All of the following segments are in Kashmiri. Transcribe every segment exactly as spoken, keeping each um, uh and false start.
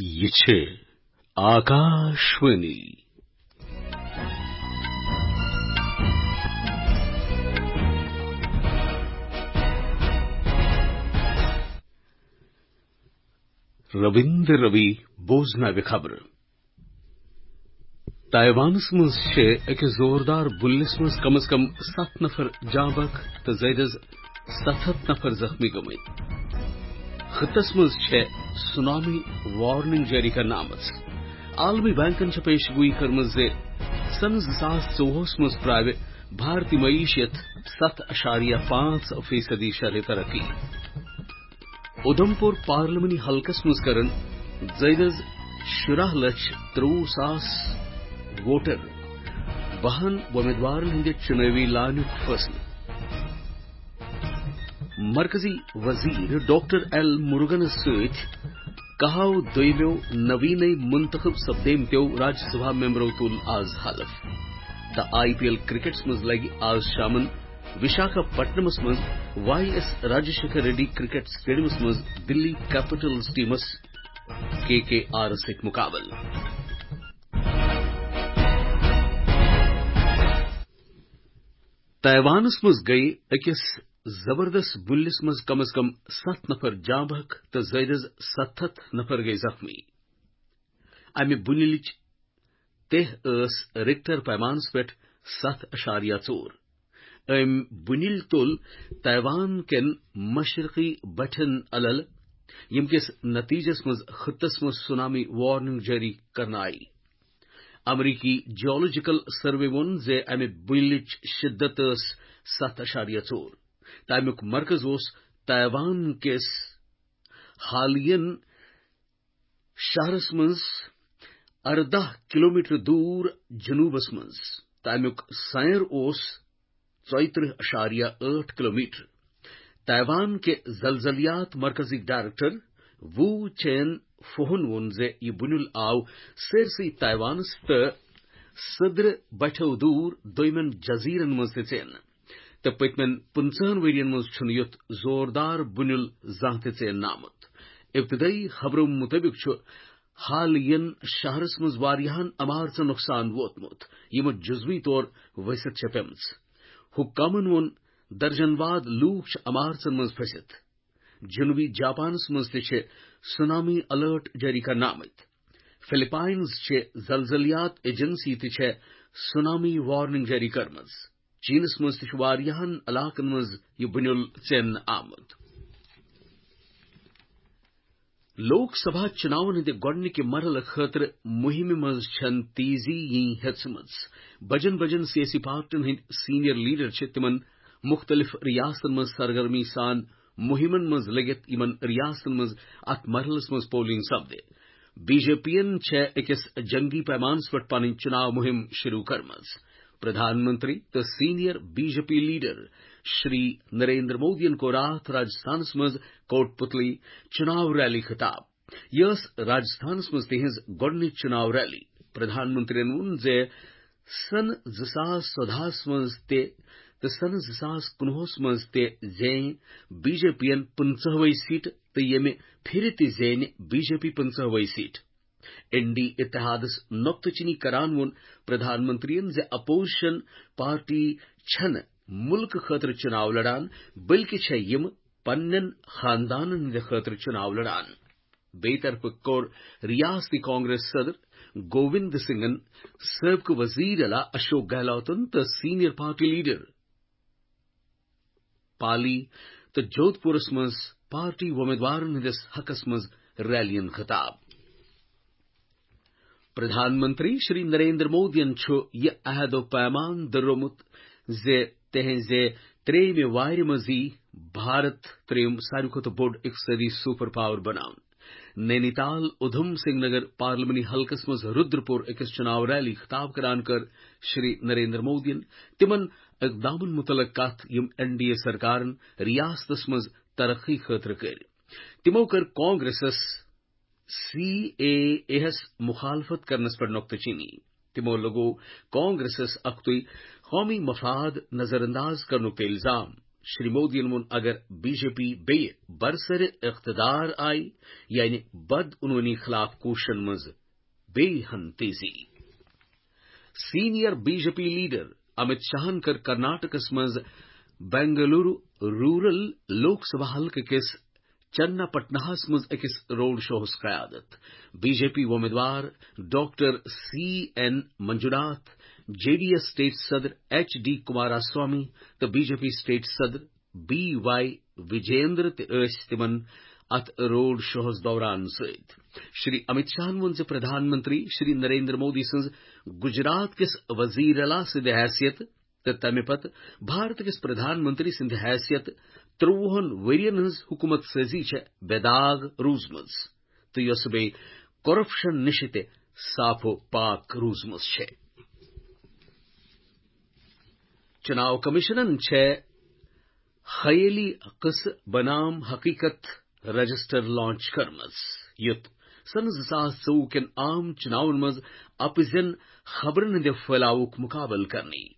یہِ چھِ آکاشوانی۔ رٔوِندر رٔوی بوزناوِ خبرٕ۔ تائیوانس منٛز چھِ أکِس زوردار بُلِلِس منٛز کم از کم ستھ نفر جاں بحق تہٕ زیادٕ از ستھ ہتھ نفر زخمی گٔمٕتۍ۔ خطس منٛز چھےٚ سونامی وارننگ جٲری کرنہٕ آمٕژ۔ عالمی بینکن چھےٚ پیش گویی کٔرمٕژ زِ سنہٕ زٕ ساس ژوٚوُہس منٛز پراوِ بھارتی معیشت ستھ اعشاریہ پانٛژھ فیصدی شرح ترقی۔ اُدھمپور پارلیمانی حلقس منٛز کرن زیادٕ از شُراہ لچھ ترٛوُہ ساس ووٹر بہن وۄمیدوارن ہٕنٛدِ چُنٲوی لانُک فٲصلہٕ۔ مرکزی وزیر ڈاکٹر ایل مُروگنس سۭتۍ کہو دوٚیمٮ۪و نویٖنے منتخب سپدیمتیو راجیہ سبھا ممبرو تُل آز حلف۔ تہٕ آئی پی ایل کرکٹس منٛز لگہِ آز شامن وشاکھا پٹنمس منٛز Y S Rajasekhara Reddy cricket اسٹیڈیمس منٛز دلی کیپٹلز ٹیمس کے کے آرس سۭتۍ مقابلہٕ۔ تائیوانس منٛز گٔیہِ أکِس زبردست بُلِلِس منٛز کم از کم ستھ نفر جاں بحق تہٕ زیادٕ از ستھ ہتھ نفر گٔیہِ زخمی۔ امہِ بُنِلِچ تہ ٲس رِکٹر پیمانس پٮ۪ٹھ ستھ اعشاریہ ژور۔ أمۍ بُنِل تُل تائیوان کٮ۪ن مشرقی بٹھٮ۪ن الل، ییٚمہِ کِس نتیجس منٛز خطس منٛز سونامی وارننگ جٲری کرنہٕ آیہِ۔ امریکی جیولوجیکل سروے ووٚن زِ امہِ بُنِلٕچ شدت ٲس ستھ اعشاریہ ژور۔ تہٕ امیُک مرکز اوس تائیوان کِس حالین شہرس منٛز ارداہ کلومیٹر دوٗر جنوٗبس منٛز۔ تہٕ امیُک سیر اوس ژۄیترٕہ اعشاریہ ٲٹھ کلومیٹر۔ تائیوان کہِ زلزلیات مرکزٕکۍ ڈائریکٹر وو چین فوہن ووٚن زِ یہِ بُنِل آو سٲرسٕے تائیوانس تہٕ سدرٕ بٹھٮ۪و دوٗر دوٚیمٮ۪ن جزیرن منٛز تہِ ژینہٕ۔ تہٕ پٔتمٮ۪ن پٕنٛژٕہن ؤرین منٛز چھُنہٕ یُتھ زوردار بُنِل زانٛہہ تہِ ژیننہٕ آمُت۔ ابتدٲئی خبرو مُطٲبِق چھُ حالین شہرس منٛز واریاہن عمارژن نۄقصان ووتمُت، یِمہٕ جزوی طور ؤسِتھ چھےٚ پیمژٕ۔ حکامن ووٚن، درجن واد لوٗکھ چھِ عمارژن منٛز پھٔسِتھ۔ جنوبی جاپانس منٛز تہِ چھِ سونامی الرٹ جٲری کرنہٕ آمٕتۍ۔ فلپائنز چہِ زلزلیات ایجنسی تہِ چھےٚ سونامی وارننگ جٲری کٔرمٕژ۔ چینس منٛز تہِ چھُ واریاہن علاقن منٛز یہِ بُنِل ژیننہٕ آمُت۔ لوک سبھا چُناون ہٕنٛدِ گۄڈٕنِکہِ مرحلہٕ خٲطرٕ مُہِمہِ منٛز چھَنہٕ تیزی یِنۍ ہٮ۪ژمٕژ۔ بجن بجن سیٲسی پارٹین ہٕنٛدۍ سینئر لیڈر چھِ تِمن مُختٔلِف ریاستن منٛز سرگرمی سان مُہِمن منٛز لٔگِتھ، یِمن ریاستن منٛز اتھ مرحلس منٛز پولنگ سپدِ۔ بی جے پی ین چھےٚ أکِس جنگی پیمانس پٮ۪ٹھ پنٕنۍ چُناو مُہِم شروع کٔرمٕژ۔ پردھان منتری تہٕ senior B J P leader Shri Narendra Modi ین کوٚر راتھ راجستھانس منٛز کوٹ پتلی چُناو ریلی خطاب۔ یہِ ٲس راجستھانس منٛز تِہنٛز گۄڈٕنِچ چُناو ریلی۔ پردھان منتری ین ووٚن زِ سنہٕ زٕ ساس ژۄدہس منٛز تہِ تہٕ سنہٕ زٕ ساس کُنوُہس منٛز تہِ زینہِ بی جے پی ین پٕنٛژٕہوَے سیٹہٕ تہٕ ییٚمہِ پھِرِ تہِ زینہِ بی جے پی پٕنٛژٕہوَے سیٹہٕ۔ این ڈی اتحادس نۄقطہٕ چینی کران ووٚن پردھان منتری ین زِ اپوزیشن پارٹی چھنہٕ مُلکہٕ خٲطرٕ چُناو لڑان، بلکہِ چھےٚ یِم پننٮ۪ن خاندانن ہٕنٛدِ خٲطرٕ چُناو لڑان۔ بیٚیہِ طرفہٕ کوٚر ریاستی کانگریس صدر گووند سنگھن، سٲبقہٕ وزیر اعلیٰ اشوک گہلوتن تہٕ سینئر پارٹی لیڈر پالی تہٕ جودھ پورس منٛز پارٹی وۄمیدوارن ہٕنٛدِس حقس منٛز ریلین خطاب۔ پردھان منتری شری نریندر مودین چھُ یہِ عہد و پیمان دۄہرومُت زِ تہنٛزِ ترٛیٚیِمہِ وارِ منٛز یی بھارت ترٛیٚیِم ساروی کھۄتہٕ بوٚڑ اقتصٲدی سپر پاور بناونہٕ۔ نینی تال اُدھم سنگھ نگر پارلیمانی حلقس منٛز رودرپور أکِس چُناو ریلی خطاب کران کٔر شری نریندر مودین تِمن اقدامن مُتعلق کتھ یِم این ڈی اے سرکارن ریاستس منٛز ترقی خٲطرٕ کٔرۍ۔ تِمو کٔر کانگریسس سی اے اے ہس مخالفت کرنس پٮ۪ٹھ نۄقطہٕ چینی۔ تِمو لوٚگوو کانگریسس اکھتُے قومی مفاد نظر انداز کرنُک تہِ الزام۔ شری مودیَن ووٚن، اگر بی جے پی بیٚیہِ برسر اقتدار آیہِ، یعنی بدعنوٲنی خلاف کوٗششن منٛز بیٚیہِ ہن تیزی۔ Senior B J P leader Amit شاہن کٔر کرناٹکس منٛز بنگلورو رورل لوک سبھا حلقہٕ کِس چننا پٹناہس منٛز أکِس روڈ شوہس قیادت۔ بی جے پی وۄمیدوار doctor C N Manjunath, J D S state صدر ایچ ڈی کمارا سوامی تہٕ بی جے پی سٹیٹ صدر بی وائی وجیندر تہِ ٲسۍ تِمن اتھ روڈ شوہس دوران سۭتۍ۔ شری امت شاہن ووٚن زِ پردھان منتری شری نریندر مودی سٕنٛز گجرات کِس وزیر اعلیٰ سٕنٛدِ حیثیت تہٕ تمہِ پتہٕ بھارت کِس پردھان منتری سٕنٛدِ حیثیت ترٛۆوُہن ؤرین ہٕنٛز حکومت سٲزی چھےٚ بے داغ روٗزمٕژ تہٕ یۄسہٕ بیٚیہِ کرپشن نِشہِ تہِ صاف و پاک روٗزمٕژ چھےٚ۔ چناو کمیشنن چھےٚ خیٲلی قصہٕ بنام حقیقت رجسٹر لانچ کٔرمٕژ، یُتھ سنہٕ زٕ ساس ژوٚوُہ کٮ۪ن عام چناون منٛز اپزٮ۪ن خبرن ہٕنٛدِ پھٔہلاوُک مقابلہٕ کرنہٕ یی۔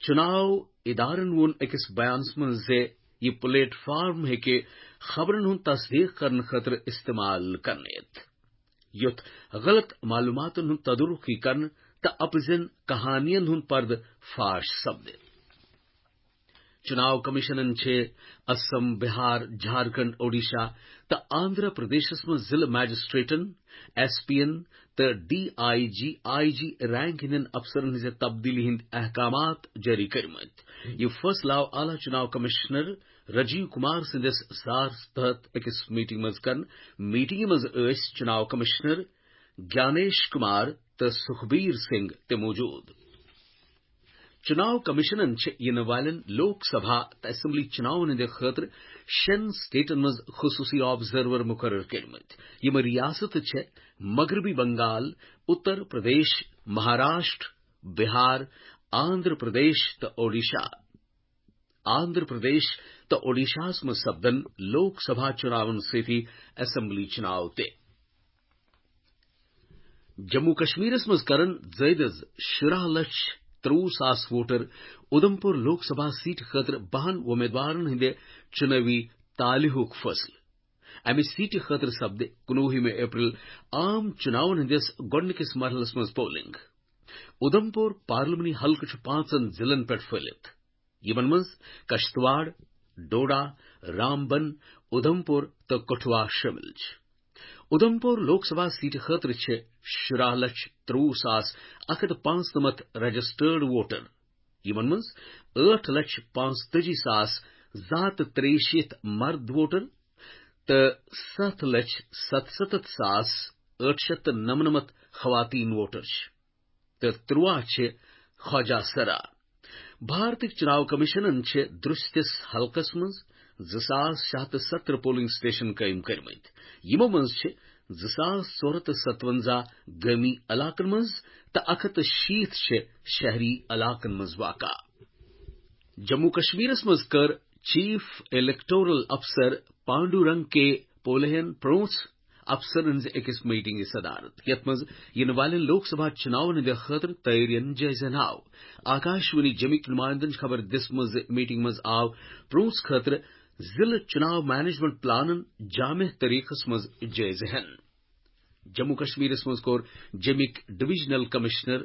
چناو ادارن ووٚن أکِس بیانس منٛز زِ یہِ پلیٹ فارم ہیٚکہِ خبرن ہُنٛد تصدیق کرنہٕ خٲطرٕ استعمال کرنہٕ یِتھ، یُتھ غلط معلوماتن ہُنٛد تدارک یی کرنہٕ تہٕ اپزٮ۪ن کہانین ہُنٛد پردٕ فاش سپدِ۔ چناو کمیشنن چھِ اسم، بہار، جھارکھنڈ، اوڈیشہ تہٕ آندھرا پردیشس منٛز ضلع مجسٹریٹن، ایس پی ین تہٕ D I G, I G rank ہٕنٛدٮ۪ن افسرن ہٕنٛزِ تبدیلی ہٕنٛدۍ احکامات جٲری کٔرمٕتۍ۔ یہِ فٲصلہٕ آو اعلیٰ چناو کمشنر راجیو کمار سٕنٛدِس صدارتس تحت أکِس میٹنگ منٛز کرنہٕ۔ میٹنگہِ منٛز ٲسۍ چناو کمشنر گیانیش کمار تہٕ سکھبیر سنگھ تہِ موجود۔ چناو کمیشنن چھِ یِنہٕ والٮ۪ن لوک سبھا تہٕ اسمبلی چناون ہٕنٛدِ خٲطرٕ شٮ۪ن سٹیٹن منٛز خصوٗصی آبزرور مقرر کٔرمٕتۍ۔ یِم ریاستہٕ چھِ مغربی بنگال، اتر پردیش، مہاراشٹر، بہار، آندھرا پردیش تہٕ اوڈیشہ۔ آندھرا پردیش تہٕ اوڈیشہس منٛز سپدن لوک سبھا چناون سۭتی اسمبلی چناو تہِ۔ جموں کشمیرس منٛز کرن زٲیدٕ از شُراہ لچھ ترٛۆوُہ ساس ووٹر ادھمپور لوک سبھا سیٹہِ خٲطرٕ بہن وۄمیدوارن ہٕنٛدِ چُنٲوی تالہِ ہُک فٲصلہٕ۔ امہِ سیٹہِ خٲطرٕ سپدِ کُنوُہمہِ اپریل عام چُناون ہٕنٛدِس گۄڈٕنِکِس مرحلس منٛز پولنگ۔ ادھمپور پارلیمانی حلقہٕ چھُ پانٛژن ضلعن پٮ۪ٹھ پھٔہلِتھ، یِمن منٛز کشتواڑ، ڈوڈا، رامبن، ادھمپور تہٕ کٹھوا شٲمِل چھِ۔ ادھمپور لوک سبھا سیٹہِ خٲطرٕ چھِ شُراہ لچھ ترٛۆوُہ ساس اکھ ہتھ پانٛژنمتھ رجسٹرڈ ووٹر، یِمن منٛز ٲٹھ لچھ پانٛژتٲجی ساس زٕ ہتھ تہٕ ترٛیہِ شیٖتھ مرد ووٹر تہٕ ستھ لچھ ستستتھ ساس ٲٹھ شیٚتھ تہٕ نمنمتھ خواتین ووٹر چھِ تہٕ ترٛواہ چھِ خواجہ سرا۔ بھارتٕکۍ چناو کمیشنن چھِ درستِس حلقس منٛز زٕ ساس شےٚ ہتھ تہٕ ستترٕہ پولنگ سٹیشن قٲیِم کٔرمٕتۍ۔ یِمو منٛز چھِ زٕ ساس ژور ہتھ تہٕ ستونزہ گٲمی علاقن منٛز تہٕ اکھ ہتھ تہٕ شیٖتھ چھِ شہری علاقن منٛز واقع۔ جموں کشمیرس منٛز کٔر چیف الیکٹورل افسر پانڈو رنگ کے پولہین پرونس افسرن ہٕنٛزِ أکِس میٹنگہِ صدارت، یتھ منٛز یِنہٕ والٮ۪ن لوک سبھا چُناون ہٕنٛدِ خٲطرٕ تیٲرین جٲیزن آو۔ آکاشوانی جمِکۍ نمایندن چھِ خبر دِژمٕژ زِ میٹنگ منٛز آو پرونس خٲطرٕ ضلع چُناو مینجمنٹ پلانن جامع طریقس منٛز جٲیزٕ ہٮ۪نہٕ۔ جموں کشمیرس منٛز کوٚر جمِکۍ ڈویژنل کمشنر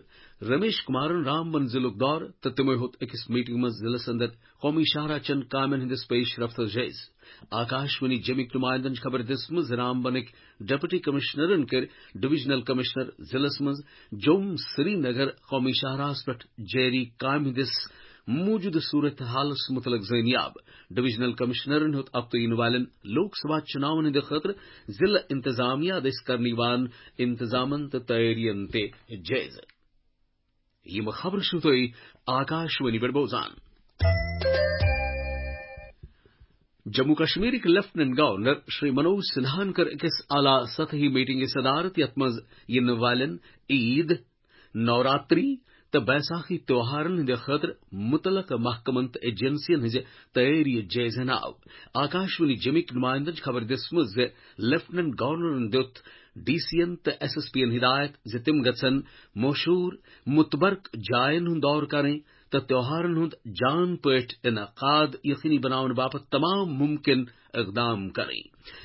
رمیش کمارن رامبن ضلعُک دورٕ تہٕ تِمو ہیوٚت أکِس میٹنگ منٛز ضلعس اندر قومی شاہراہ چٮ۪ن کامٮ۪ن ہٕنٛدِس پیش رفتس جٲیزٕ۔ آکاشوانی جمِکۍ نمایندن چھِ خبر دِژمٕژ زِ رامبنٕکۍ ڈپٹی کمشنرن کٔرۍ ڈویژنل کمشنر ضلعس منٛز جوٚم سری نگر قومی شاہراہس پٮ۪ٹھ جٲری کامہِ ہٕنٛدِس موٗجوٗدٕ صورت حالس مُتعلق زٲنیاب۔ ڈویژنل کمشنرن ہیوٚت ہفتہٕ یِنہٕ والٮ۪ن لوک سبھا چُناون ہٕنٛدِ خٲطرٕ ضلع انتظامیہ دٔسۍ کرنہٕ یِوان انتظامن تہٕ تیٲرین تہِ جٲیزٕ۔ یِم خبرٕ چھِو تُہۍ آکاشوانی پٮ۪ٹھ بوزان۔ جموں کشمیرٕکۍ لیفٹیننٹ گورنر شری منوج سنہاہن کٔر أکِس اعلیٰ سطحی میٹنگہِ صدارت، یتھ منٛز یِنہٕ والٮ۪ن عید، نوراتری تہٕ بیساکھی تیوہارن ہٕنٛدِ خٲطرٕ مُتعلقہٕ محکمن تہٕ ایجنسین ہٕنٛزِ تیٲری جٲیزٕ ہن آو۔ آکاشوانی جمِکۍ نمایندن چھِ خبر دِژمٕژ زِ لیفٹیننٹ گورنرن دِیُت ڈی سی ین تہٕ ایس ایس پی ین ہدایت زِ تِم گژھن مشہوٗر متبرک جاین ہُنٛد دورٕ کرٕنۍ تہٕ تہوارن ہُنٛد جان پٲٹھۍ انعقاد یقینی بناونہٕ باپتھ تمام ممکن اقدام کرٕنۍ۔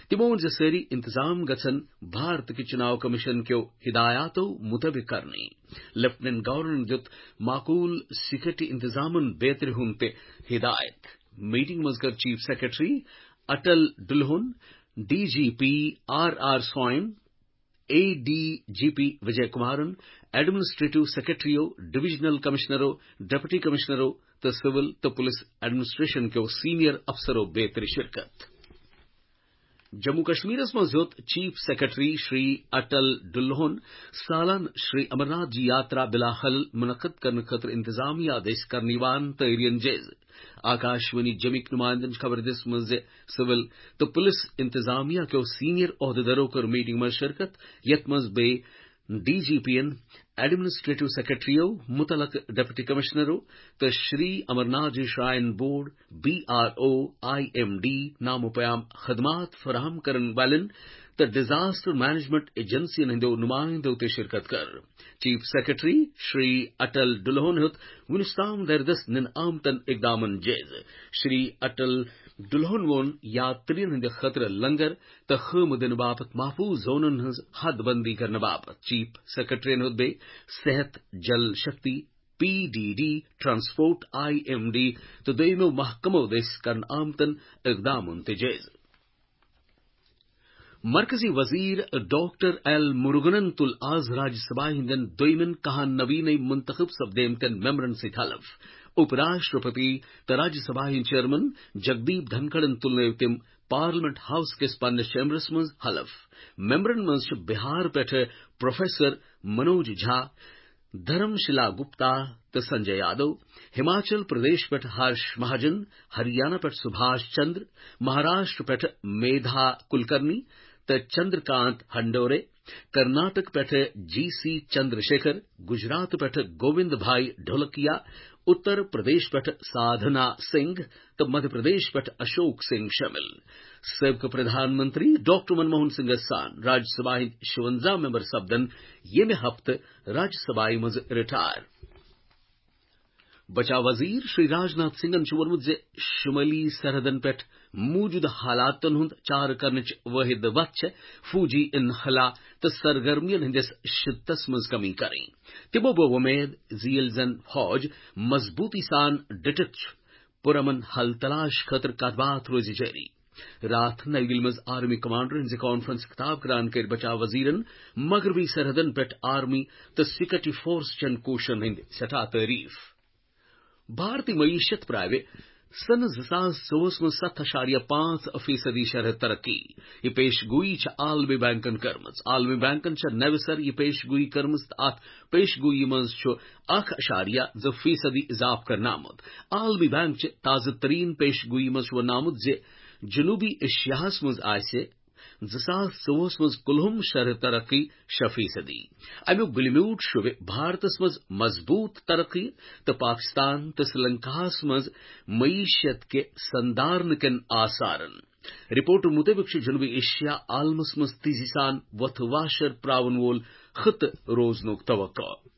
تِمو ووٚن زِ سٲری انتظام گژھن بھارت کہِ چناو کمیشن کیو ہدایاتو مطٲبق کرنہٕ۔ لیفٹیننٹ گورنرن دیُت معقول سیکورٹی انتظامن بیترِ ہُنٛد تہِ ہدایت۔ میٹنگ منٛز کٔر chief secretary Atal Dulloo, D G P R R Swain, A D G P Vijay کمارن، ایڈمنسٹریٹو سیکرٹریو، ڈویژنل کمشنرو، ڈپٹی کمشنرو تہٕ سول تہٕ پولیس ایڈمنسٹریشن کیو سینئر افسرو بیترِ شرکت۔ جموں کشمیرس منٛز ہیوٚت چیف سیکرٹری شری اٹل ڈلہون سالن شری امرناتھ جی یاترا بلاحل منعقد کرنہٕ خٲطرٕ انتظامیہ دٔسۍ کرنہٕ یِوان تیٲرین جٲیزٕ۔ آکاشوانی جمِکۍ نمائندن چھِ خبر دِژمٕژ زِ سول تہٕ پولیس انتظامیہ کیو سینئر عہدیدارو کٔر میٹنگ منٛز شرکت، یتھ منٛز بیٚیہِ ڈی جی پی ین، ایڈمنسٹریٹو سیکرٹریو، متعلقہٕ ڈپٹی کمشنرو تہٕ Shri Amarnath ji shrine board, B R O, I M D, نامو پیام خدمات فراہم کرن والٮ۪ن تہٕ ڈیزاسٹر مینجمنٹ ایجنسین ہٕنٛدیو نمائندو تہِ شرکت کٔر۔ چیف سیکرٹری شری اٹل ڈلہون ہیوٚت وُنیُس تام دردس نن آمتن اقدامن جٲیزٕ۔ شری اٹل ڈلہون ووٚن یاترین ہٕنٛدِ خٲطرٕ لنگر تہٕ خٲمہٕ دِنہٕ باپتھ محفوظ زونن ہٕنٛز حد بندی کرنہٕ باپتھ۔ چیف سیکرٹرین ہیوٚت بیٚیہِ صحت، Jal Shakti, P D D, transport, I M D تہٕ دوٚیمو محکمو دٔسۍ کرنہٕ آمتن اقدامن تہِ جٲیزٕ۔ مرکزی وزیر ڈاکٹر ایل مرگنن تُل آز راجیہ سبھا ہٕنٛدٮ۪ن دوٚیمٮ۪ن کاہن نویٖنے منتخب سپدیمتٮ۪ن ممبرن سۭتۍ حلف۔ اُپ راشٹرپتی تہٕ راجیہ سبھا ہٕنٛدۍ چیئرمین جگدیپ دھنکھڑن تُلنٲوۍ تِم پارلیمنٹ ہاؤس کِس پننِس چیمبرس منٛز حلف۔ ممبرن منٛز چھِ بہار پٮ۪ٹھٕ پروفیسر منوج جھا، دھرم شیلا گپتا تہٕ سنجے یادو، ہماچل پردیش پٮ۪ٹھ ہرش مہاجن، ہریانہ پٮ۪ٹھ سبھاش چندر، مہاراشٹر پٮ۪ٹھ میدھا کلکرنی تہٕ چندرکانت ہنڈورے، کرناٹک پٮ۪ٹھ جی سی چندر شیکھر، گجرات پٮ۪ٹھ گووند بھائی ڈھولکیا، اتر پردیش پٮ۪ٹھ سادھنا سنگھ تہٕ مدھیہ پردیش پٮ۪ٹھ اشوک سنگھ شٲمِل۔ سٲبقہٕ پردھان منتری ڈاکٹر منموہن سنگھس سان راجیہ سبھا ہٕنٛدۍ شُونٛزاہ ممبر سپدن ییٚمہِ ہفتہٕ راجیہ سبھایہ منٛز رٹائر۔ بچاو وزیر شری راجناتھ سنگھن چھُ ووٚنمُت زِ شمٲلی سرحدن پٮ۪ٹھ موجودٕ حالاتن ہُنٛد چارٕ کرنٕچ وٲحد وتھ چھےٚ فوجی انخلا تہٕ سرگرمین ہٕنٛدِس شدتس منٛز کمی کرٕنۍ۔ تِمو بٲو وۄمید زِ ییٚلہِ زن فوج مضبوٗطی سان ڈٹِتھ چھُ، پُرامن حل تلاش خٲطرٕ کتھ باتھ روزِ جٲری۔ راتھ نئی دِلہِ منٛز آرمی کمانڈرن ہٕنٛزِ کانفرنس خطاب کران کٔرۍ بچاو وزیرن مغربی سرحدن پٮ۪ٹھ آرمی تہٕ سیکورٹی فورس چٮ۪ن کوٗششن ہٕنٛدۍ سٮ۪ٹھاہ تعریف۔ بھارتی معیشت پراوِ سنہٕ زٕ ساس ژوٚوُہس منٛز ستھ اَشاریہ پانٛژھ فیصدی شرح ترقی۔ یہِ پیش گویی چھےٚ عالمی بینکن کٔرمٕژ۔ عالمی بینکن چھےٚ نوِ سر یہِ پیش گویی کٔرمٕژ تہٕ اتھ پیش گویی منٛز چھُ اکھ اَشاریہ زٕ فیصدی اضافہٕ کرنہٕ آمُت۔ عالمی بینک چہِ تازٕ ترین پیش گویی منٛز چھُ وننہٕ آمُت زِ جنوبی ایشیاہس منٛز آسہِ زٕ ساس ژوٚوُہس منٛز کُلہُم شرح ترقی شےٚ فیصدی۔ امیُک گُلہِ میوٗٹھ شوبہِ بھارتس منٛز مضبوٗط ترقی تہٕ پاکستان تہٕ سری لنکاہس منٛز معیشت کہِ سندارنہٕ کٮ۪ن آثارن۔ رپورٹہٕ مُطٲبِق چھُ جنوبی ایشیا عالمس منٛز تیزی سان وۄتھٕ واشر پراون وول خطہٕ روزنُک توقع۔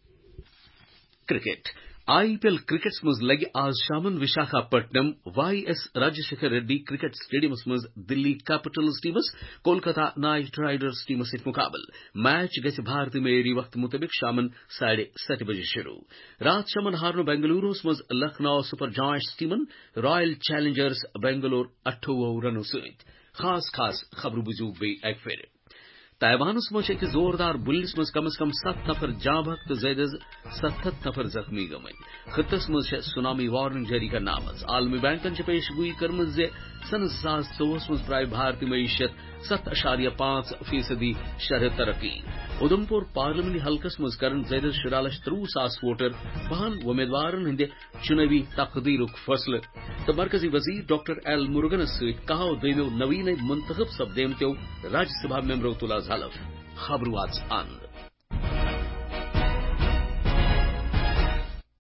کرکٹ۔ آئی پی ایل کرکٹس منٛز لگہِ آز شامن Visakhapatnam Y S Rajasekhara Reddy cricket سٹیڈیمس منٛز دلی کیپٹلز ٹیمس کولکتہ نائٹ رائیڈرز ٹیمس سۭتۍ مقابلہٕ۔ میچ گژھِ بھارتی معیاری وقتہٕ مُطٲبِق شامن ساڑھے ستہِ بجہِ شروع۔ راتھ شامن ہارنو بنگلوروس منٛز لکھنؤ سپر جائنٹس ٹیمن رائل چیلنجرز بنگلور اَٹھووُہ رنو سۭتۍ۔ خاص خاص خبرٕ بوٗزِو بیٚیہِ اَکہِ پھِرِ۔ تائیوانس منٛز چھِ أکِس زوردار بُلِس منٛز کم از کم ستھ نفر جاں بحق تہٕ زیادٕ از ستھ ہتھ نفر زخمی گٔمٕتۍ۔ خطس منٛز چھےٚ سونامی وارننگ جٲری کرنہٕ آمٕژ۔ عالمی بینکن چھےٚ پیش گویی کٔرمٕژ زِ سنہٕ زٕ ساس ژوٚوُہس منٛز پراوِ بھارتی معیشت ستھ اَشاریہ پانٛژھ فیصدی شرح ترقی۔ اُدھمپور پارلیمانی حلقس منٛز کرن زیادٕ از شُراہ لچھ ترٛوُہ ساس ووٹر بہن وۄمیدوارن ہٕنٛدِ چُنٲوی تقدیرُک فٲصلہٕ۔ تہٕ مرکزی وزیر ڈاکٹر ایل مرگنس سۭتۍ کاہو دوٚیمو نویٖنے منتخب سپدیمتیو راجیہ سبھا ممبرو تُل آز حلف۔ خبرٕ واژ اند۔